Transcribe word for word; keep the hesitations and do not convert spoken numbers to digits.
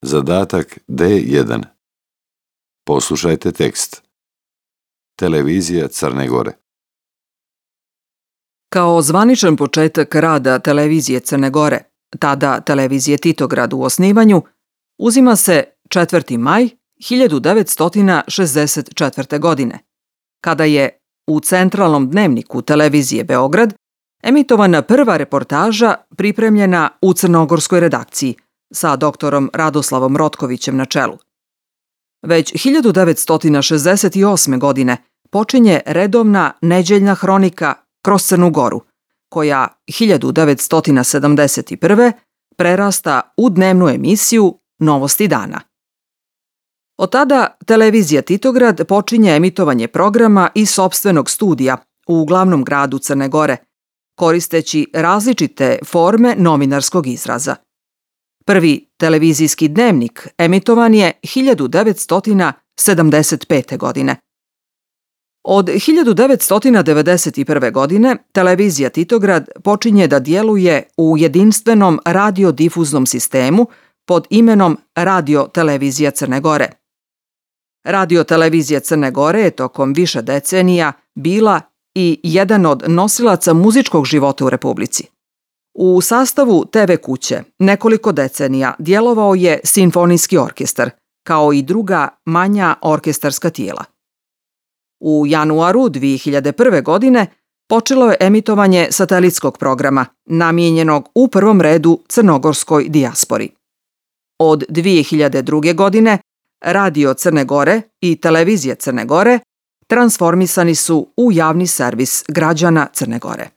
Zadatak D jedan. Poslušajte tekst. Televizija Crne Gore. Kao zvaničan početak rada Televizije Crne Gore, tada Televizije Titograd u osnivanju, uzima se četvrti maj hiljadu devetsto šezdeset četvrte. godine, kada je u centralnom dnevniku Televizije Beograd emitovana prva reportaža pripremljena u crnogorskoj redakciji sa doktorom Radoslavom Rotkovićem na čelu. Već hiljadu devetsto šezdeset osme. godine počinje redovna neđeljna hronika Kroz Crnu Goru, koja hiljadu devetsto sedamdeset prve. prerasta u dnevnu emisiju Novosti dana. Od tada Televizija Titograd počinje emitovanje programa iz sopstvenog studija u glavnom gradu Crne Gore, koristeći različite forme novinarskog izraza. Prvi televizijski dnevnik emitovan je hiljadu devetsto sedamdeset pete. godine. Od hiljadu devetsto devedeset prve. godine Televizija Titograd počinje da djeluje u jedinstvenom radiodifuznom sistemu pod imenom Radio Televizija Crne Gore. Radio Televizija Crne Gore je tokom više decenija bila i jedan od nosilaca muzičkog života u Republici. U sastavu te ve kuće nekoliko decenija djelovao je simfonijski orkestar, kao i druga manja orkestarska tijela. U januaru dve hiljade prve. godine počelo je emitovanje satelitskog programa, namijenjenog u prvom redu crnogorskoj dijaspori. Od dve hiljade druge. godine Radio Crne Gore i Televizija Crne Gore transformisani su u javni servis građana Crne Gore.